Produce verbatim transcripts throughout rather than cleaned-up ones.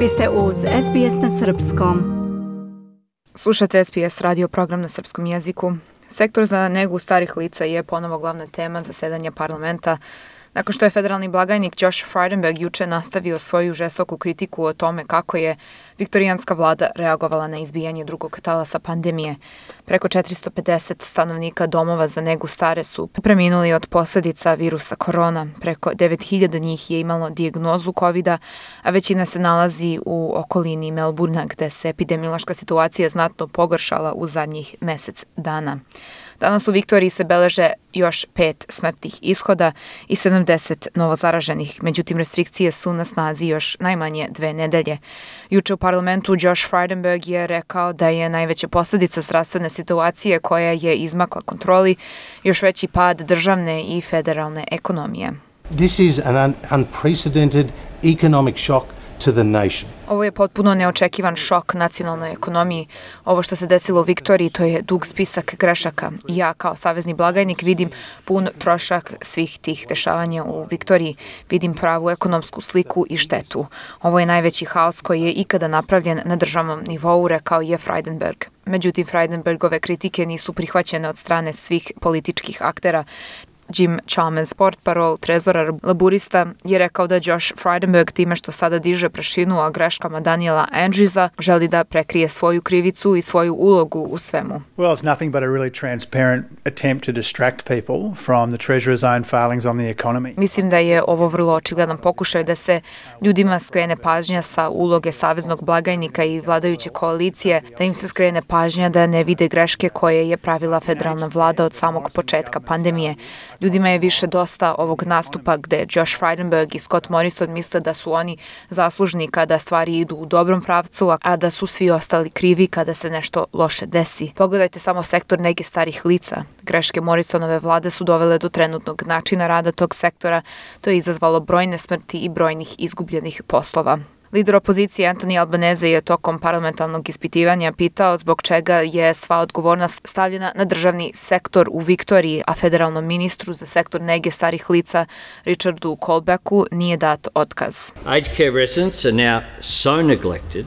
Vi ste uz S B S na srpskom. Slušate S B S radio program na srpskom jeziku. Sektor za negu starih lica je ponovo glavna tema zasedanja parlamenta, nakon što je federalni blagajnik Josh Frydenberg juče nastavio svoju žestoku kritiku o tome kako je viktorijanska vlada reagovala na izbijanje drugog talasa pandemije. Preko četiristo pedeset stanovnika domova za negu stare su preminuli od posljedica virusa korona. Preko devet hiljada njih je imalo dijagnozu kovida, a većina se nalazi u okolini Melbournea, gde se epidemiološka situacija znatno pogoršala u zadnjih mesec dana. Danas u Viktoriji se beleže još pet smrtnih ishoda i sedamdeset novozaraženih, međutim restrikcije su na snazi još najmanje dve nedelje. Juče u parlamentu Josh Frydenberg je rekao da je najveća posljedica zdravstvene situacije koja je izmakla kontroli još veći pad državne i federalne ekonomije. This is an un- unprecedented economic shock to the nation. Ovo je potpuno neočekivan šok nacionalnoj ekonomiji. Ovo što se desilo u Viktoriji, to je dug spisak grešaka. Ja kao savezni blagajnik vidim pun trošak svih tih dešavanja u Viktoriji. Vidim pravu ekonomsku sliku i štetu. Ovo je najveći haos koji je ikada napravljen na državnom nivou, rekao je Frydenberg. Međutim, Frydenbergove kritike nisu prihvaćene od strane svih političkih aktera. Jim Chalmers, portparol trezora laburista, je rekao da Josh Frydenberg time što sada diže prašinu o greškama Daniela Andrewsa želi da prekrije svoju krivicu i svoju ulogu u svemu. Well, it's nothing but a really transparent attempt to distract people from the Treasurer's own failings on the economy. Mislim da je ovo vrlo očigledan pokušaj da se ljudima skrene pažnja sa uloge saveznog blagajnika i vladajuće koalicije, da im se skrene pažnja da ne vide greške koje je pravila federalna vlada od samog početka pandemije. Ljudima je više dosta ovog nastupa gde Josh Frydenberg i Scott Morrison misle da su oni zaslužni kada stvari idu u dobrom pravcu, a da su svi ostali krivi kada se nešto loše desi. Pogledajte samo sektor nege starih lica. Greške Morrisonove vlade su dovele do trenutnog načina rada tog sektora. To je izazvalo brojne smrti i brojnih izgubljenih poslova. Lider opozicije Anthony Albanese je tokom parlamentarnog ispitivanja pitao zbog čega je sva odgovornost stavljena na državni sektor u Viktoriji, a federalnom ministru za sektor nege starih lica Richardu Colbacku nije dat otkaz. Aged care residents are now so neglected.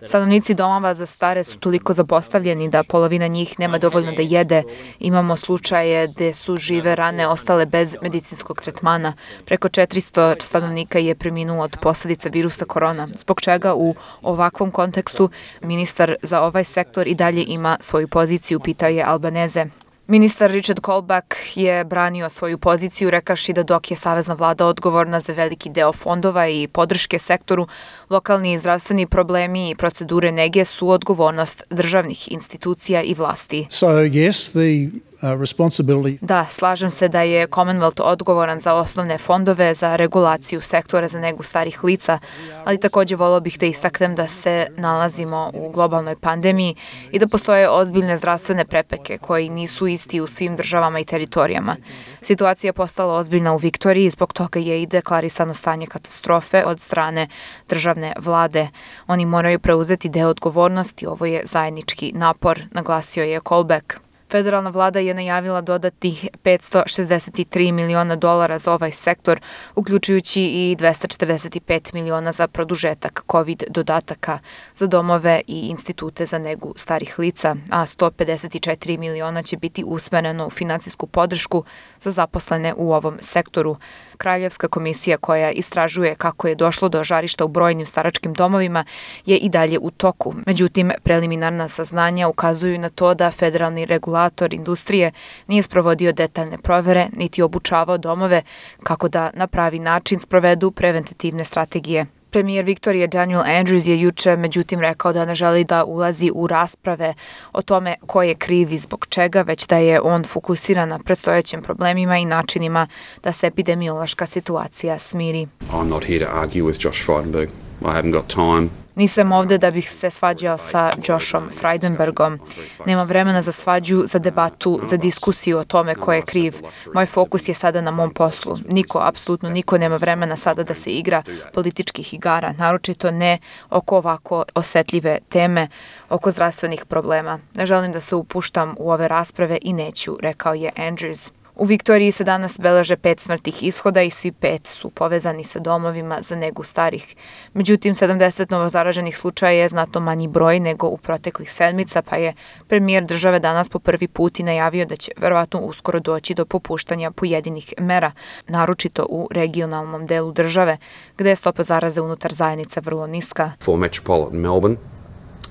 Stanovnici domova za stare su toliko zapostavljeni da polovina njih nema dovoljno da jede. Imamo slučaje gde su žive rane ostale bez medicinskog tretmana. Preko četiristo stanovnika je preminulo od posljedica virusa korona, zbog čega u ovakvom kontekstu ministar za ovaj sektor i dalje ima svoju poziciju, pitao je Albanese. Ministar Richard Colback je branio svoju poziciju rekavši da dok je savezna vlada odgovorna za veliki deo fondova i podrške sektoru, lokalni zdravstveni problemi i procedure nege su odgovornost državnih institucija i vlasti. So yes, the uh, responsibility. Da, slažem se da je Commonwealth odgovoran za osnovne fondove, za regulaciju sektora za negu starih lica, ali također volio bih da istaknem da se nalazimo u globalnoj pandemiji i da postoje ozbiljne zdravstvene prepreke koji nisu isti u svim državama i teritorijama. Situacija je postala ozbiljna u Viktoriji, zbog toga je i deklarisano stanje katastrofe od strane državne vlade. Oni moraju preuzeti deo odgovornosti, ovo je zajednički napor, naglasio je Colback. Federalna vlada je najavila dodatnih petsto šezdeset tri miliona dolara za ovaj sektor, uključujući i dvesta četrdeset pet miliona za produžetak COVID dodataka za domove i institute za negu starih lica, a sto pedeset četiri miliona će biti usmereno u finansijsku podršku za zaposlene u ovom sektoru. Kraljevska komisija koja istražuje kako je došlo do žarišta u brojnim staračkim domovima je i dalje u toku. Međutim, preliminarna saznanja ukazuju na to da federalni regulator industrije nije sprovodio detaljne provere niti obučavao domove kako da na pravi način sprovedu preventativne strategije. Premijer Viktorije Daniel Andrews je juče međutim rekao da ne želi da ulazi u rasprave o tome ko je kriv i zbog čega, već da je on fokusiran na predstojećim problemima i načinima da se epidemiološka situacija smiri. I'm not here to argue with Josh Frydenberg. I haven't got time. Nisam ovde da bih se svađao sa Joshom Frydenbergom. Nema vremena za svađu, za debatu, za diskusiju o tome ko je kriv. Moj fokus je sada na mom poslu. Niko, apsolutno niko nema vremena sada da se igra političkih igara, naročito ne oko ovako osetljive teme, oko zdravstvenih problema. Ne želim da se upuštam u ove rasprave i neću, rekao je Andrews. U Viktoriji se danas beleže pet smrtnih ishoda i svi pet su povezani sa domovima za negu starih. Međutim, sedamdeset novozaraženih slučaja je znatno manji broj nego u proteklih sedmica, pa je premijer države danas po prvi put i najavio da će verovatno uskoro doći do popuštanja pojedinih mera, naročito u regionalnom delu države, gde je stopa zaraze unutar zajednica vrlo niska. For metropolitan Melbourne,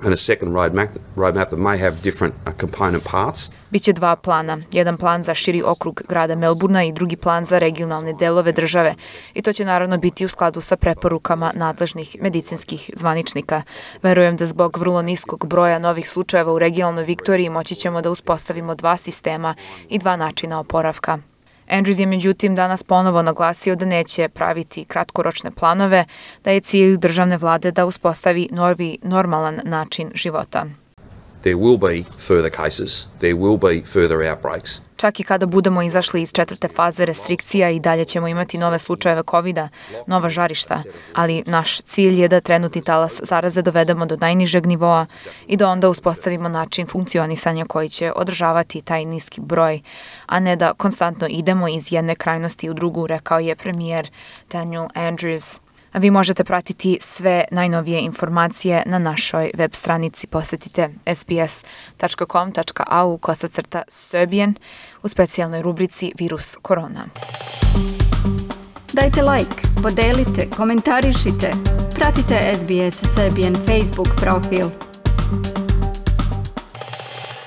and a second roadmap, roadmap that may have different uh, component parts. Biće dva plana, jedan plan za širi okrug grada Melburna i drugi plan za regionalne delove države. I to će naravno biti u skladu sa preporukama nadležnih medicinskih zvaničnika. Verujem da zbog vrlo niskog broja novih slučajeva u regionalnoj Viktoriji moći ćemo da uspostavimo dva sistema i dva načina oporavka. Andrews je međutim danas ponovo naglasio da neće praviti kratkoročne planove, da je cilj državne vlade da uspostavi novi normalan način života. There will be further cases, there will be further outbreaks. Čak i kada budemo izašli iz četvrte faze restrikcija i dalje ćemo imati nove slučajeve kovida, nova žarišta, ali naš cilj je da trenutni talas zaraze dovedemo do najnižeg nivoa i da onda uspostavimo način funkcionisanja koji će održavati taj niski broj, a ne da konstantno idemo iz jedne krajnosti u drugu, rekao je premijer Daniel Andrews. A vi možete pratiti sve najnovije informacije na našoj web stranici. Posetite s b s dot com dot a u kosacrta Serbian u specijalnoj rubrici Virus korona. Dajte like, podelite, komentarišite. Pratite S B S Serbian Facebook profil.